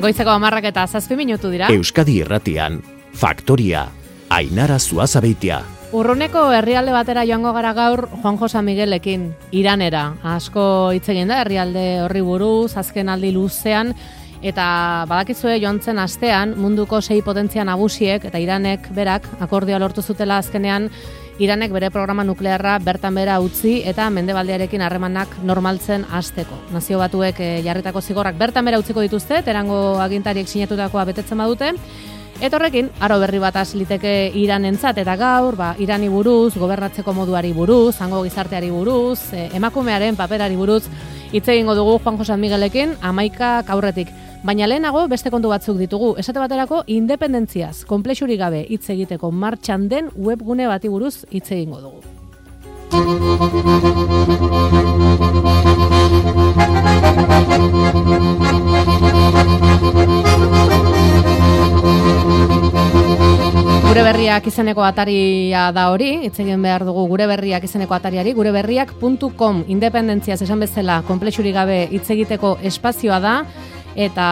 Goizeko 10:07 dira. Euskadi Irratian, Faktoria, Ainara Zuazabeitia. Urruneko herrialde batera joango gara gaur Juanjo San Miguelekin, Iranera. Asko hitz egin da herrialde horri buruz, azken aldi luzean, eta badakizue joan zen astean munduko 6 potentzia nagusiek eta Iranek berak akordioa lortu zutela azkenean. Iranek bere programa nuklearra bertan bera utzi eta mendebaldearekin harremanak normaltzen hasteko. Nazio Batuek jarritako zigorrak bertan bera utziko dituzte, Teherango agintariek sinatutakoa betetzen badute. Eta horrekin, aro berri bat has liteke Iranentzat eta gaur, Irani buruz, gobernatzeko moduari buruz, hango gizarteari buruz, emakumearen paperari buruz hitz egingo dugu Juanjo San Miguelekin 11 aurretik. Baina lehenago beste kontu batzuk ditugu. Esate baterako independentziaz, konplexurik gabe hitz egiteko martxan den webgune bati buruz hitz egingo dugu. Gure berriak izeneko ataria da hori, hitz egin behar dugu gure berriak izeneko atariari, gureberriak.com, independentziaz esan bezala konplexurik gabe hitz egiteko espazioa da, eta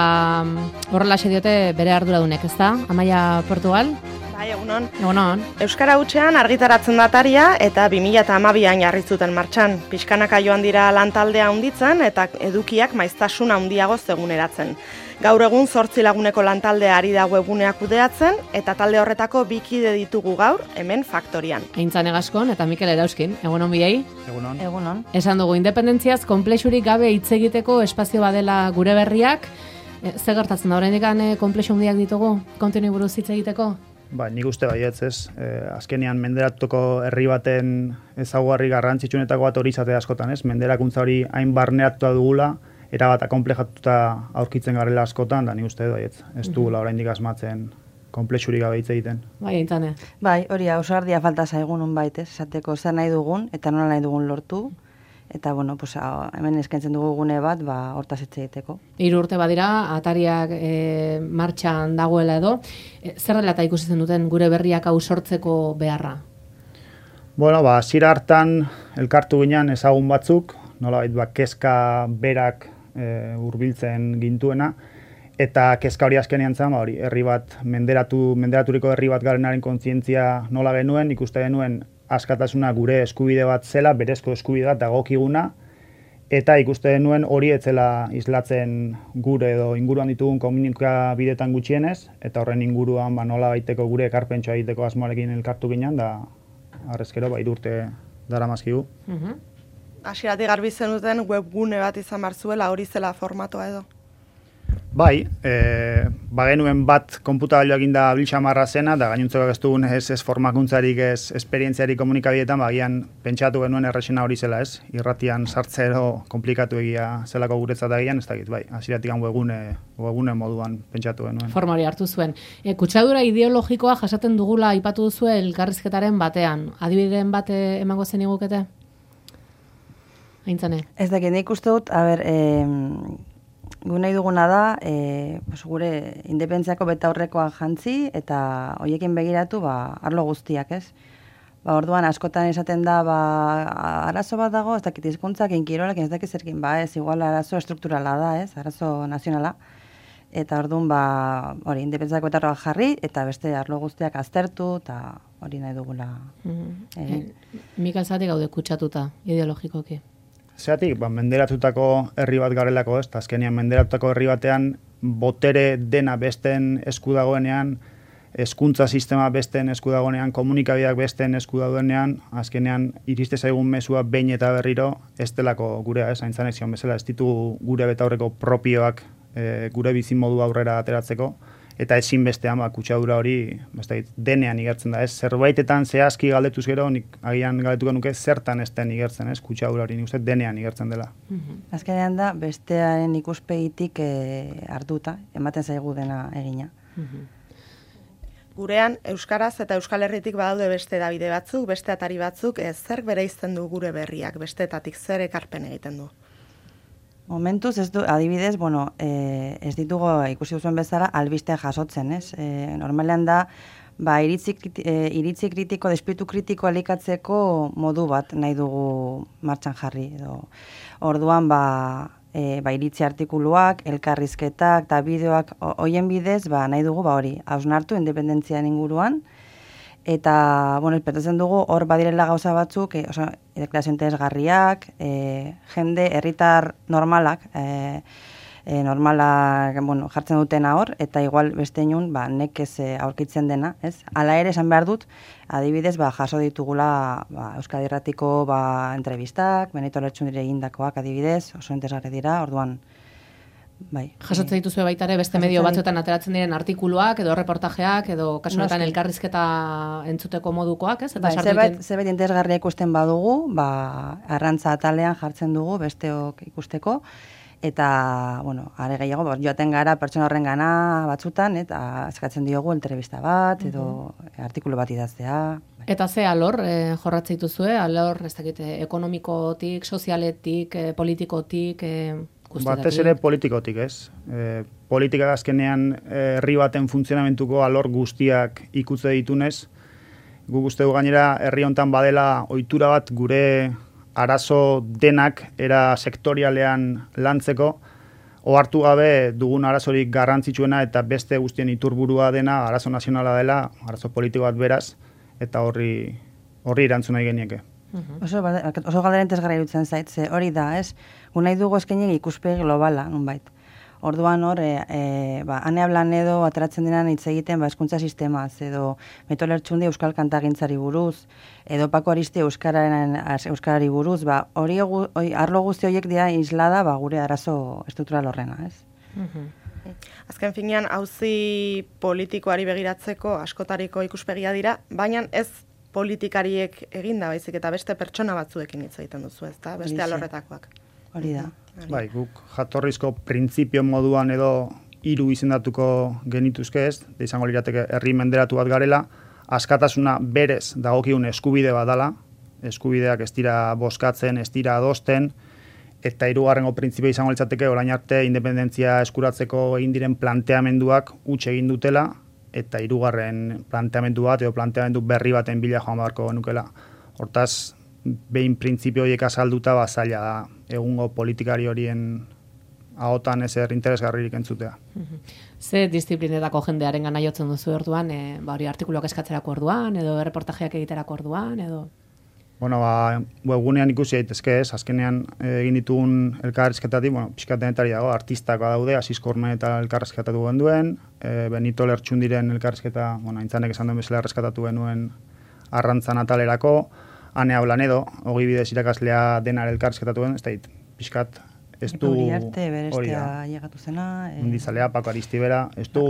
horrelaxe diote bere arduradunek, ezta? Amaia Portugal? Bai, egunon. Egunon. Euskara hutsean argitaratzen da ataria eta 2012an jarri zuten martxan. Pixkanaka joan dira lantaldea handitzen eta edukiak maiztasun handiago zeguneratzen. Gaur egun 8 laguneko lantaldea ari da webguneak kudeatzen eta talde horretako 2 kide ditugu gaur hemen Faktorian. Aintzane Gaskon eta Mikel Erauskin. Egunon biei. Egunon. Egunon. Esan dugu independentziaz konplexurik gabe hitz egiteko espazio badela gure berriak. Ze gertatzen da oraindik konplexu handiak ditugu kontinu buruz hitz egiteko? Nik uste baietz, ez. Azkenean menderatuko herri baten ezaugarri garrantzitsuenetako bat hori izate askotan, ez? Menderakuntza hori hain barneratuta dugula, erabata konplejatuta aurkitzen garela askotan, da nik uste baietz. Ez dugula oraindik asmatzen konplexurik gabe hitz egiten. Bai, Aintzane. Bai, hori ausardia falta zaigun nonbait, ez? Esateko zer nahi dugun eta nola nahi dugun lortu. Eta, hemen eskaintzen dugu gune bat, hortaz hitz egiteko. 3 urte badira, atariak martxan dagoela edo. Zer dela eta ikusi zen duten gure berriak hau sortzeko beharra? Hasiera hartan elkartu ginen ezagun batzuk, nolabait kezka berak hurbiltzen gintuena, eta kezka hori azkenean zen, herri bat, menderaturiko herri bat garenaren kontzientzia nola genuen, ikuste genuen askatasuna gure eskubide bat zela, berezko eskubide bat dagokiguna, eta ikuste nuen hori etzela islatzen gure edo inguruan ditugun komunikabidetan gutxienez, eta horren inguruan nola baiteko gure ekarpentsoa egiteko asmoarekin elkartu ginen, da arrezkero 3 urte daramazkigu. Hasieratik garbi zenuten webgune bat izan behar zuela, hori zela formatoa edo? Bai, bagenuen bat konputagailuak inda biltxamarra zena, da gainuntzeko ez dugun ez formakuntzarik, ez esperientziarik komunikabidetan, bagian pentsatu genuen errexena hori zela, ez? Irratian sartzero komplikatu egia zelako guretzat agian, ez dakit, bai, hasieratik webgune moduan pentsatu genuen. Forma hori hartu zuen. Kutsadura ideologikoa jasaten dugula aipatu duzue elkarrizketaren batean. Adibideen bat emango zen igukete? Aintzane. Ez dakit, nik uste dut, gu nahi duguna da, gure independentziako betaurrekoa jantzi eta hoiekin begiratu arlo guztiak, ez? Orduan askotan esaten da arazo bat dago, ez dakit hizkuntzakin, kirolakin, ez dakit zerkin, ez igual arazo estrukturala da, ez? Arazo nazionala. Eta orduan hori independentziako betaurrekoa jarri eta beste arlo guztiak aztertu eta hori nahi dugula. Mikel zati gaude kutsatuta ideologikoki. Zeratik, menderatutako herri bat garelako, ez? Azkenean menderatutako herri batean botere dena besten esku dagoenean, hezkuntza sistema besten esku dagoenean, komunikabideak besten esku dagoenean, azkenean iriste zaigun mezua behin eta berriro ez delako gurea, ez? Aintzanek zion bezala, ez ditugu gure betaurreko propioak gure bizimodu aurrera ateratzeko, eta ezinbestean kutsadura hori denean igertzen da, ez? Zerbaitetan zehazki galdetuz gero, nik agian galdetuko nuke zertan ez den igertzen, ez? Kutsadura hori nik uste denean igertzen dela. Azkenean da, bestearen ikuspegitik hartuta, ematen zaigu dena egina. Gurean, Euskaraz eta Euskal Herritik badaude beste hedabide batzuk, beste atari batzuk, zer bereizten du gure berriak, besteetatik zer ekarpen egiten du? Momentuz, adibidez, ez ditugu ikusi duzuen bezala albistea jasotzen, ez? Normalean da, iritzi kritiko, espiritu kritiko elikatzeko modu bat nahi dugu martxan jarri. Orduan, iritzi artikuluak, elkarrizketak eta bideoak hoien bidez, nahi dugu hori, hausnartu independentzian inguruan, eta, espetatzen dugu hor badirela gauza batzuk, deklarazio interesgarriak, jende, herritar normalak, jartzen dutena hor, eta igual beste inun, nekez aurkitzen dena, ez? Hala ere, esan behar dut, adibidez, jaso ditugula Euskadi Irratiko entrevistak, Benito Lertxundire egindakoak adibidez, oso interesgarri dira, orduan, bai. Jasotzen dituzue baita ere beste medio batzuetan ateratzen diren artikuluak, edo reportajeak, edo kasu honetan elkarrizketa entzuteko modukoak, ez? Eta zerbait interesgarria ikusten badugu, arrantza atalean jartzen dugu besteok ikusteko, eta, are gehiago, joaten gara pertsona horren gana batzutan, eta eskatzen diogu entrevista bat, edo artikulu bat idaztea. Eta ze alor jorratzen dituzue, alor, ez dakit, ekonomikotik, sozialetik, politikotik, batez ere politikotik, ez? Politika azkenean herri baten funtzionamentuko alor guztiak ikutze ditunez, guk uste du gainera herri hontan badela ohitura bat gure arazo denak era sektorialean lantzeko, ohartu gabe dugun arazorik garrantzitsuena eta beste guztien iturburua dena arazo nazionala dela, arazo politiko bat beraz, eta horri erantzun nahi genieke. Oso galdera interesgarria iruditzen zait, ze hori da, ez? Nahi dugu eskenik ikuspegi globala, nonbait. Orduan hor, Ane Ablanedo ateratzen denan hitz egiten hezkuntza sistemaz, edo Benito Lertxundi euskal kantagintzari buruz, edo Pako Aristi euskarari buruz, hori arlo guzti horiek dira islada gure arazo estruktural horrena, ez? Azken finean, auzi politikoari begiratzeko askotariko ikuspegia dira, baina ez politikariek eginda baizik eta beste pertsona batzuekin hitz egiten duzu, ezta? Beste alorretakoak. Hori da. Bai, guk jatorrizko printzipio moduan edo 3 izendatuko genituzke ez, da izango lirateke herri menderatu bat garela, askatasuna berez dagokigun eskubide bat dala, eskubideak ez dira bozkatzen, ez dira adosten, eta 3. printzipio izango litzateke orain arte independentzia eskuratzeko egin diren planteamenduak huts egin dutela, eta 3. planteamendu bat edo planteamendu berri baten bila joan beharko genukela. Hortaz, behin printzipio horiek azalduta zaila da egungo politikari horien ahotan ezer interesgarririk entzutea. Ze disiplinetako jendearen gana jotzen duzu orduan, hori artikuluak eskatzerako orduan, edo reportajeak egiterako orduan, edo... Webgunean ikusi daitezke ez, azkenean egin ditugun elkarrizketatik, pixkat denetari dago, artistak daude, Asisko Ormen eta elkarrizketatu genduen, Benito Lertxundiren elkarrizketa, aintzanek esan duen bezala errezkatatu genuen arrantzan atalerako, Ane Ablanedo, Ogi Bidez irakaslea denar elkarrizketatu gen, ez da pixkat, ez du... Hori arte, berestea llegatu zena... Mundizalea, Pako Aristibera, ez du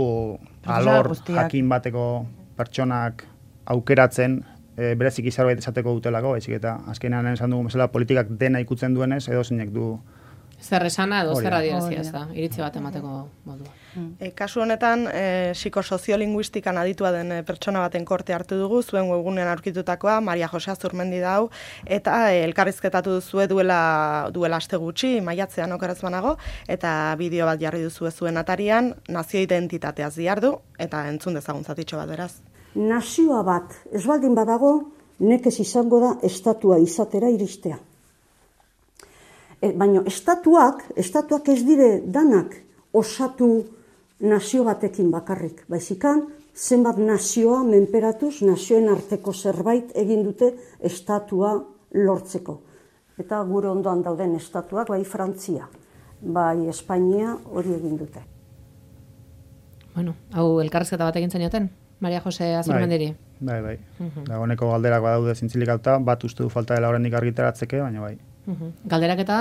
alor jakin bateko pertsonak aukeratzen, berezik zerbait esateko dutelako, baizik eta azkenean esan dugu bezala politikak dena ikutzen duenez, edo zeinek du... Zer esana edo zer adierazia ez da, iritzi bat emateko modua. Kasu honetan, psikosoziolinguistikan aditua den pertsona baten korte hartu dugu, zuen webgunean aurkitutakoa, Maria Jose Azurmendi dau, eta elkarrizketatu duzue duela aste gutxi, maiatzean okeraz banago, eta bideo bat jarri duzue zuen atarian, nazio identitateaz diardu, eta entzun dezagun zatitxo bat beraz. Nazioa bat, ez baldin badago, nekez izango da estatua izatera iristea. Baina estatuak ez dire danak osatu nazio batekin bakarrik. Baizikan, zenbat nazioa menperatuz, nazioen arteko zerbait egin dute estatua lortzeko. Eta gure ondoan dauden estatuak, bai Frantzia, bai Espainia hori egin dute. Hau elkarrizketa bat egin zenioten? Maria Jose Azurmendiri. Bai. Dagoeneko galderak badaude zintzilikatuta, bat uste du falta dela oraindik argitaratzeke, baina bai. Galderak eta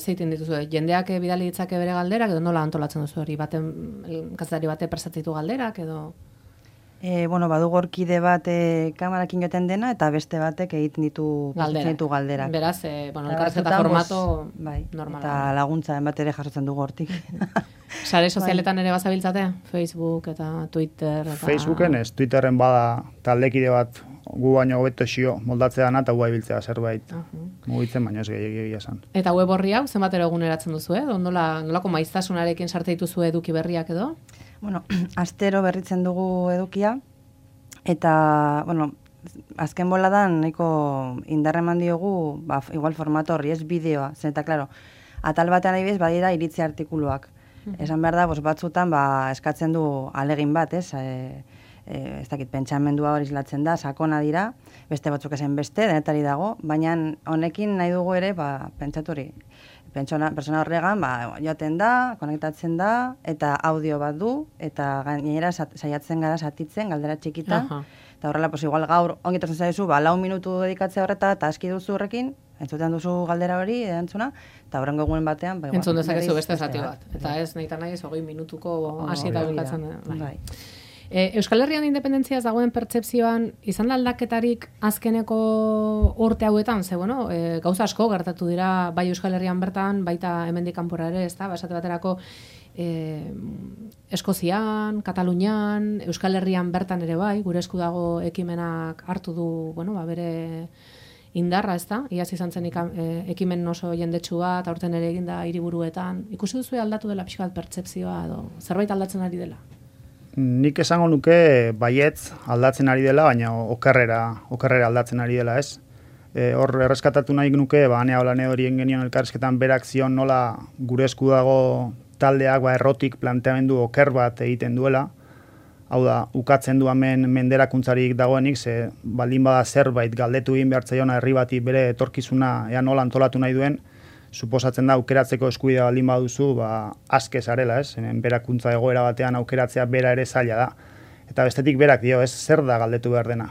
zeiten dituzu, jendeak bidali ditzake bere galderak, edo nola antolatzen duzu hori, kazetari bate prestatitu galderak, edo... Badugu orkide bat kamarakin joten dena, eta beste batek egiten ditu galderak. Beraz, elkarrizketa formato normala. Eta laguntza bat ere jasotzen dugu hortik. Sare sozialetan ere bazabiltzate? Facebook eta Twitter? Facebooken ez, Twitterren bada taldekide bat gu baino hobeto xio moldatzean eta guai biltzea zerbait mugitzen, baina ez gehiagia esan. Eta web horri hau zenbatero eguneratzen duzu, nolako maiztasunarekin sarte dituzu eduki berriak edo? Astero berritzen dugu edukia, eta, azken boladan nahiko indarreman diogu, igual formato horri, ez bideoa, zen eta, klaro, atal batean adibidez badira iritzi artikuluak. Esan behar da, batzutan eskatzen du alegin bat, ez? Ez dakit, pentsamendua hori islatzen da, sakona dira, beste batzuk ezen beste, denetari dago, baina honekin nahi dugu ere, pentsatu hori, persona horregan, joaten da, konektatzen da, eta audio bat du, eta gainera saiatzen gara satitzen, galdera txikita, eta horrela, igual gaur, ongitatzen zaizu, 4 minutu dedikatzea horreta, eta aski duzu horrekin, entzuten duzu galdera hori, erantzuna, eta horrengo egunen batean... Entzun dezakezu beste zati bat. Eta ez, nahi ez, 20 minutuko hasi eta bukatzen. Euskal Herrian independentziaz dagoen pertsepzioan, izan da aldaketarik azkeneko urte hauetan, ze, gauza asko gertatu dira, bai Euskal Herrian bertan, baita hemendik kanpora ere, ez da, esate baterako, Eskozian, Katalunian, Euskal Herrian bertan ere bai, gure esku dago ekimenak hartu du, bere indarra, ez da, iaz izan zen ekimen oso jendetsu bat, aurten ere eginda hiriburuetan. Ikusi duzu aldatu dela pixka bat pertsepzioa, edo zerbait aldatzen ari dela? Nik esango nuke baietz aldatzen ari dela, baina okerrera aldatzen ari dela, ez? Hor erreskatatu nahi nuke, Anea Olane horien genion elkarrizketan berak zion nola gure esku dago taldeak errotik planteamendu oker bat egiten duela. Hau da, ukatzen du hemen menderakuntzarik dagoenik, ze baldin bada zerbait galdetu egin behartzaiona herri bati bere etorkizuna ea nola antolatu nahi duen, suposatzen da aukeratzeko eskubidea baldin baduzu, aske zarela, ez? Hemen berakuntza egoera batean aukeratzea bera ere zaila da. Eta bestetik berak dio, ez zer da galdetu behar dena.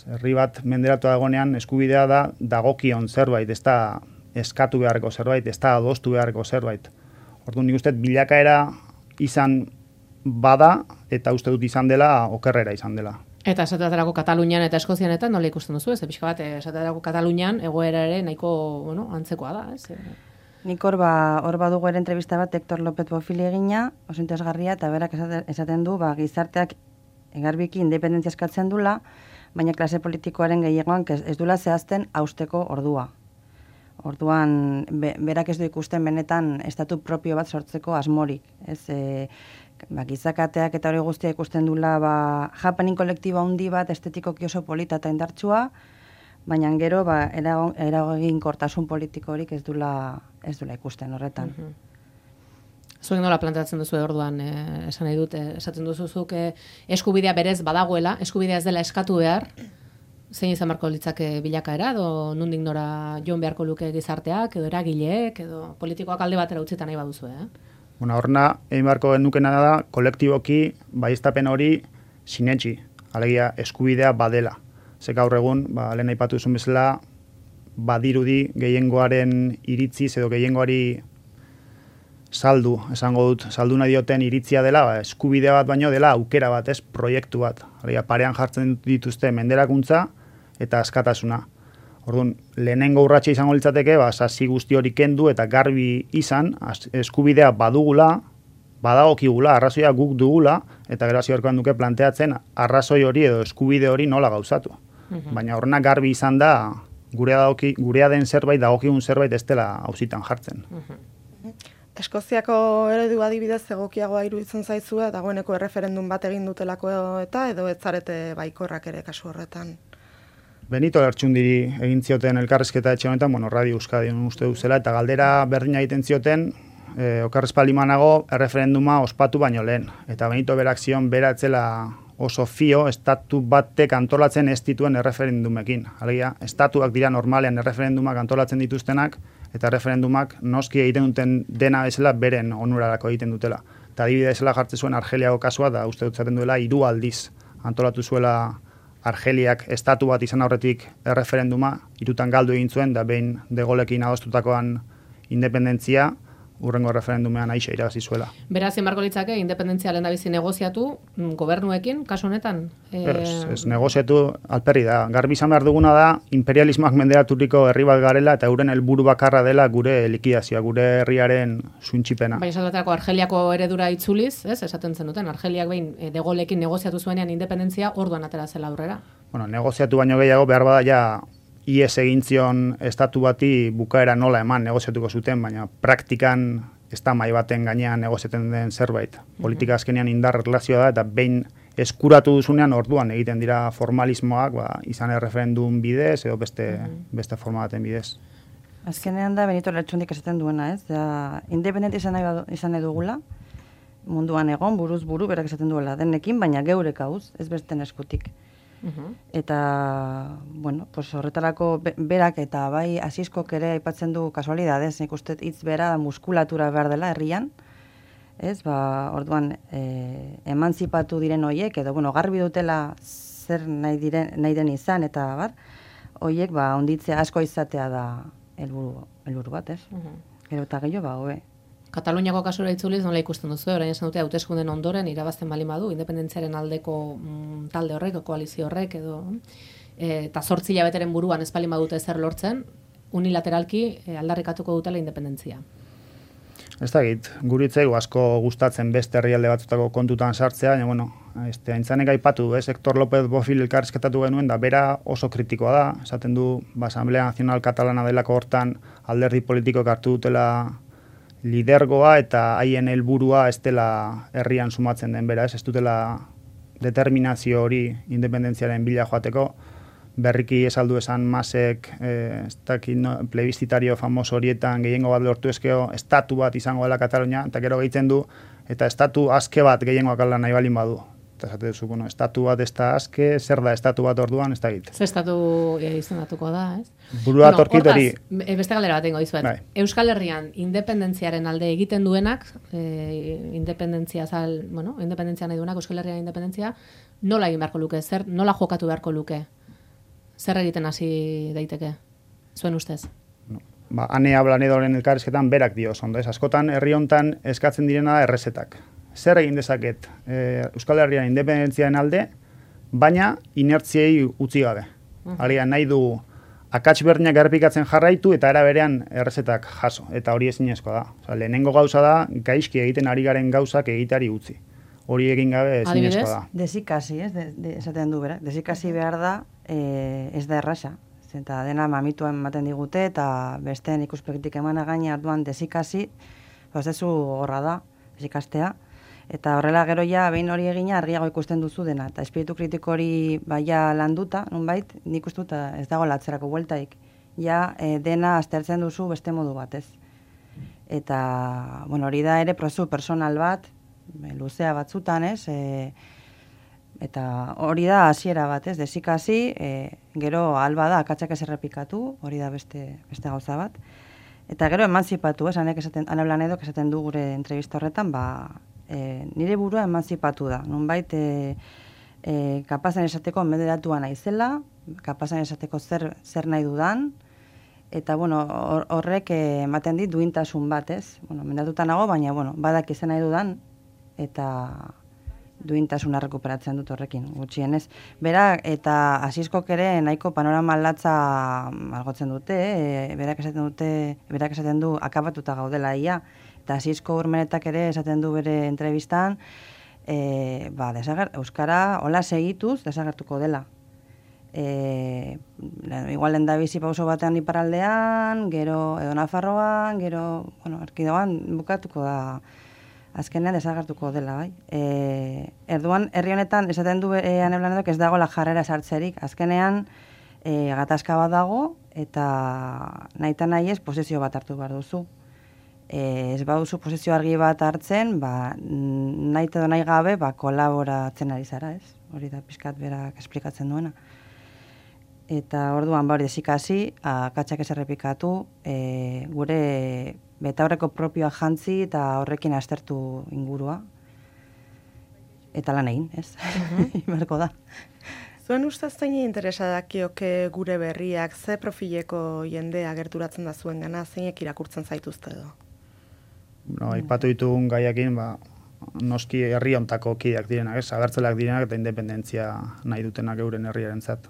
Herri bat menderatu dagoenean eskubidea da dagokion zerbait, ez da eskatu beharreko zerbait, ez da adostu beharreko zerbait. Orduan nik uste bilakaera izan bada, eta uste dut izan dela, okerrera izan dela. Eta esaterako Katalunian eta Eskozianetan nola ikusten duzu, ez? Pixka bat, esaterako Katalunian egoera ere nahiko antzekoa da, ez? Nik hor badugu ere entrevista bat Hector López Bofili egina, oso interesgarria, eta berak esaten du, gizarteak garbiki independentzia eskatzen dula, baina klase politikoaren gehiagoan ez dula zehazten hausteko ordua. Orduan, berak ez du ikusten benetan estatu propio bat sortzeko asmorik, ez? Gizakateak eta hori guztia ikusten dula happening kolektibo handi bat estetikoki oso polita eta indartsua, baina gero eraginkortasun politiko horik ez dula ikusten horretan. Zuen nola planteatzen duzu orduan, esan nahi dut, esaten duzuzuk eskubidea berez badagoela, eskubidea ez dela eskatu behar, zein izan beharko litzake bilakaera, edo nondik nora joan beharko luke gizarteak, edo eragileek, edo politikoak alde batera utzita nahi baduzu, Horna, egin beharko genukena da, kolektiboki, baieztapen hori sinetxi, alegia eskubidea badela. Ze gaur egun, lehen aipatu zuen bezala, badirudi gehiengoaren iritziz edo gehiengoari saldu, esango dut, saldu nahi dioten iritzia dela, eskubidea bat baino dela aukera bat, ez proiektu bat. Alegia, parean jartzen dituzte menderakuntza eta askatasuna. Orduan, lehenengo urratsa izango litzateke, sasi guzti hori kendu eta garbi izan, eskubidea badugula, badagokigula, arrazoia guk dugula, eta gero hasi beharko duke planteatzen arrazoi hori edo eskubide hori nola gauzatu. Baina horrena garbi izan da, gurea den zerbait, dagokigun zerbait ez dela auzitan jartzen. Eskoziako eredu adibidez egokiagoa iruditzen zaizua, dagoeneko erreferendum bat egin dutelako eta edo ez zarete baikorrak ere kasu horretan. Benito Lertxundiri egin zioten elkarrizketa etxe honetan, Radio Euskadi uste duzela, eta galdera berdina egiten zioten, okarrezpalimanago erreferenduma ospatu baino lehen. Eta Benito berak zion beratzela oso fio, estatu batek antolatzen ez dituen erreferendumekin. Alegia, estatuak dira normalean erreferendumak antolatzen dituztenak, eta erreferendumak noski egiten duten dena bezala beren onurarako egiten dutela. Eta adibide bezala jartzen zuen Argeliako kasua, da uste dut zaten duela 3 aldiz antolatu zuela Argeliak estatu bat izan aurretik erreferenduma, 3 galdu egin zuen, da behin De Gaullekin adostutakoan independentzia, urrengo referendumean aixa irabazi zuela. Beraz, marko litzake, independentzia lehendabizi negoziatu gobernuekin, kasu honetan? Ez negoziatu alperri da. Garbi izan behar duguna da, imperialismoak menderaturiko herri bat garela eta euren helburu bakarra dela gure likidazioa, gure herriaren suntxipena. Baina esaterako Argeliako eredura itzuliz, esaten zenuten, Argeliak behin De Gaullekin negoziatu zuenean independentzia orduan atera zela aurrera. Negoziatu baino gehiago behar bada ja IES egin zion estatu bati bukaera nola eman negoziatuko zuten, baina praktikan ez da mai baten gainean negoziatzen den zerbait. Politika azkenean indar relazioa da, eta behin eskuratu duzunean orduan egiten dira formalismoak, izan erreferendum bidez edo beste forma baten bidez. Azkenean da Benito Lertxundik esaten duena, ez? Da, independente izan nahi dugula, munduan egon, buruz buru, berak esaten duela, denekin, baina geurek hauz, ez besten eskutik. Eta, bueno, pues horretarako berak eta bai Asiskok ere aipatzen du kasualidadez, nik uste hitz bera muskulatura behar dela herrian, ez, orduan emantzipatu diren hoiek, edo, bueno, garbi dutela zer nahi den izan, eta hoiek, onditzea asko izatea da helburu bat, ez? Gero eta gehiago, hobe. Kataluniako kasura itzuliz nola ikusten duzu, orain esan dute hauteskunden ondoren irabazten bali badu, independentziaren aldeko talde horrek, koalizio horrek, edo eta 8 hilabeteren buruan ez bali badute zer lortzen, unilateralki aldarrikatuko dutela independentzia. Ez dakit, guritzaigu asko gustatzen beste herrialde batzutako kontutan sartzea, baina, bueno, aintzanek aipatu, Hector López Bofill elkarrizketatu genuen, da bera oso kritikoa da, esaten du, Asamblea Nazional Katalana delako hortan alderdi politikoak hartu dutela lidergoa eta haien helburua ez dela herrian sumatzen den bera, ez dutela determinazio hori independentziaren bila joateko, berriki esaldu esan Masek, plebiscitario famoso horietan gehiengo bat lortu ezkeo, estatu bat izango dela Katalunia, eta gero gehitzen du, eta estatu aske bat gehiengoak ala nahi balin badu. Eta esate duzu, bueno, estatu bat ez da aske, zer da estatu bat orduan, ez da egite. Zer estatu izendatuko da, ez? Burua torkit hori. Beste galdera bat ingo dizuet. Bai. Euskal Herrian independentziaren alde egiten duenak, independentzia nahi duenak, Euskal Herrian independentzia, nola egin beharko luke, nola jokatu beharko luke? Zer egiten hasi daiteke, zuen ustez? Ane Ablanedoren elkarrizketan berak dio, ondo, ez? Askotan herri hontan eskatzen direna da errezetak. Zer egin dezaket Euskal Herrian independentziaren alde, baina inertziei utzi gabe. Harian nahi du akats berdinak errepikatzen jarraitu eta era berean errezetak jaso. Eta hori ezinezkoa da. Lehenengo gauza da, gaizki egiten ari garen gauzak egitari utzi. Hori egin gabe ezinezkoa da. Desikasi, ez? Esaten du berak. Desikasi behar da, ez da erraxa. Eta dena mamituan ematen digute eta besteen ikuspegitik emana gaina arduan desikasi, prozesu horra da, desikastea. Eta horrela gero ja, behin hori egina, argiago ikusten duzu dena. Eta espiritu kritiko hori baia landuta, nonbait, nik uste dut ez dago latzerako bueltaik. Ja, dena aztertzen duzu beste modu batez. Eta, bueno, hori da ere prozesu personal bat, luzea batzutan, ez? Eta hori da hasiera bat, ez? Desikasi, gero alba da, akatsak ez errepikatu, hori da beste gauza bat. Eta gero emantzipatu, ez? Ane Blanedok esaten du gure entrevista horretan, nire burua emantzipatu da. Nonbait, kapazan esateko menderatua naizela, kapazan esateko zer nahi dudan, eta, bueno, horrek ematen dit duintasun bat, ez? Bueno, mendatuta nago, baina, bueno, badak izan nahi dudan, eta duintasuna rekuperatzen dut horrekin, gutxienez. Bera, eta Asiskok ere nahiko panorama latza malgotzen dute, berak esaten du akabatuta gaudela ia, eta Asisko Urmenetak ere esaten du bere entrevistan, Euskara hola segituz desagertuko dela. Igual lendabizi pauso batean iparraldean, gero edo Nafarroan, gero, bueno, erkidegoan bukatuko da, azkenean desagertuko dela, bai. Erduan, herri honetan, esaten du Ane Blanedok ez dago la jarrera sartzerik. Azkenean, gatazka bat dago, eta nahi ez posizio bat hartu behar duzu. Ez baduzu posizio argi bat hartzen, nahi edo nahi gabe, kolaboratzen ari zara, ez? Hori da pixkat berak esplikatzen duena. Eta orduan, hori desikasi, akatsak ez errepikatu, gure betaurreko propioa jantzi eta horrekin aztertu ingurua. Eta lan egin, ez? Iberko da. Zuen ustez zein interesa dakioke gure berriak, ze profileko jendea gerturatzen da zuen gana, zeinek irakurtzen zaituzte edo? Aipatu ditugun gaiakin, noski herri hontako kideak direnak, ez? Abertzaleak direnak eta independentzia nahi dutenak euren herriarentzat.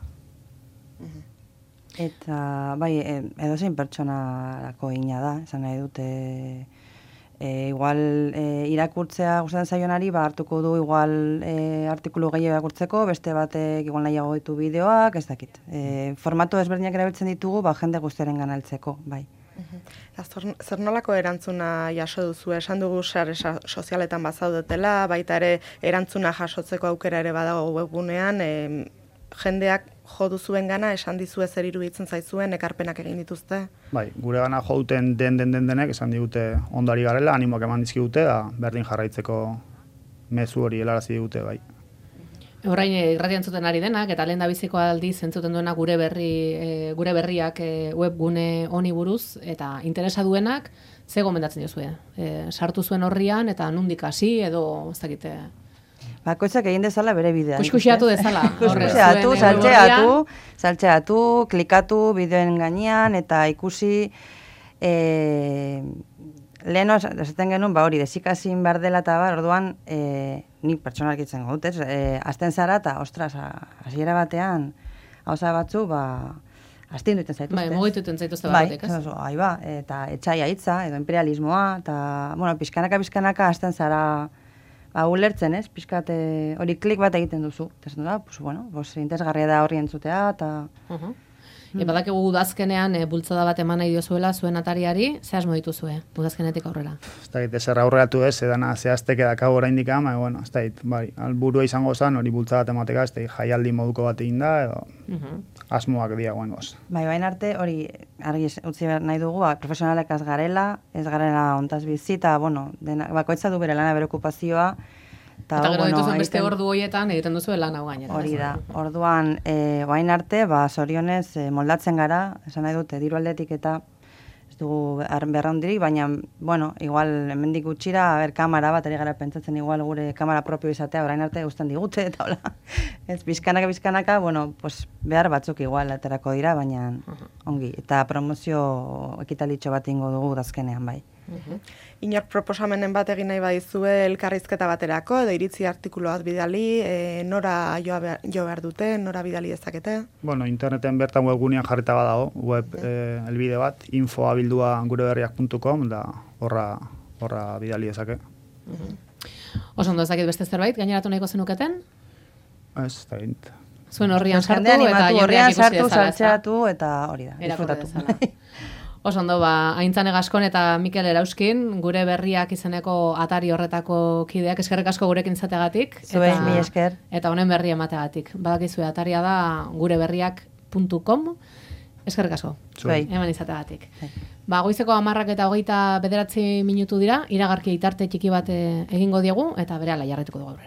Eta, bai, edozein pertsonarako ina da, esan nahi dute, igual irakurtzea gustatzen zaionari, hartuko du igual artikulu gehiago irakurtzeko, beste batek igual nahiago ditu bideoak, ez dakit. Formatu ezberdinak erabiltzen ditugu, jende guztiaren ganaltzeko, bai. Zer nolako erantzuna jaso duzu? Esan dugu sare sozialetan bazaudetela, baita ere erantzuna jasotzeko aukera ere badago webgunean, jendeak jo duzuen gana, esan dizue zer iruditzen zaizuen, ekarpenak egin dituzte? Bai, gure gana jo duten denek, esan digute ondari garela, animoak eman dizkigute, da berdin jarraitzeko mezu hori helarazi digute, bai. Orain irratian zuten ari denak, eta lehen da biziko aldiz entzuten duena gure berriak webgune honi buruz, eta interesa duenak, ze gomendatzen diozue? Sartu zuen horrian, eta nundik hasi, edo ez dakite... Bakoitzak egin dezala bere bidea. Kuskusiatu dezala. Saltxeatu, klikatu bideoen gainean, eta ikusi... Lehen esaten genuen, hori, desikazin behar dela eta orduan, nik pertsonalki itzen dut, azten zara eta, ostras, hasiera batean, hauza batzu, azten duten zaituzte. Bai, mugituten zaituzte batek, ez? Eta etxaia hitza, edo imperialismoa, eta, bueno, pixkanaka azten zara, ulertzen, ez? Pixkat hori klik bat egiten duzu. Eta, interesgarria da horri entzutea, eta... Badakigu udazkenean bultzada bat eman nahi diozuela zuen atariari, ze asmo dituzue udazkenetik aurrera? Ez da, zer aurreratu ez, edana zehaztek edakago oraindik ama, bueno, ez da, bai, alburua izango zen, hori bultzada bat emateka, ez da, jaialdi moduko bat egin da, edo asmoak diagoen goz. Bai, bain arte, hori, argi utzi nahi dugu, profesionalek ez garela ontaz bizi, eta, bueno, bakoitza du bere lana bere okupazioa, eta gero dituzuen beste ordu horietan egiten duzu lan hau gainera. Hori da, orduan, bain arte, zorionez moldatzen gara, esan nahi dute, diru aldetik eta ez dugu berraundirik, baina, bueno, igual, hemendik gutxira, kamera bat, ari gara pentsatzen igual gure kamera propio izatea, orain arte guztan digute, eta hola, ez, bizkanaka, bueno, pues, behar batzuk igual aterako dira, baina ongi, eta promozio ekitalitxo bat ingo dugu dazkenean, bai. Inork proposamenen bat egin nahi badizue elkarrizketa baterako, edo iritzi artikulu bat bidali, nora jo behar dute, nora bidali dezakete? Bueno, interneten bertan webgunean jarrita badago, web elbide bat, info@gureberriak.com, da horra bidali dezake. Oso ondo ezakit beste zerbait, gaineratu nahiko zenuketen? Ez, da gint. Zuen horrian sartu, eta jendeak ikusi dezala. Saltxeatu, eta hori da, disfrutatu. Oso ondo, Aintzane Gaskon eta Mikel Erauskin, gure berriak izeneko atari horretako kideak, eskerrik asko gurekin izategatik. Zuei, mi esker. Eta honen berri emategatik. Badakizue ataria da gureberriak.com, eskerrik asko. Zuei. Eman izategatik. Goizeko 10:29 minutu dira, iragarki itarte txiki bat egingo diegu, eta berehala jarraituko dugu aurrera.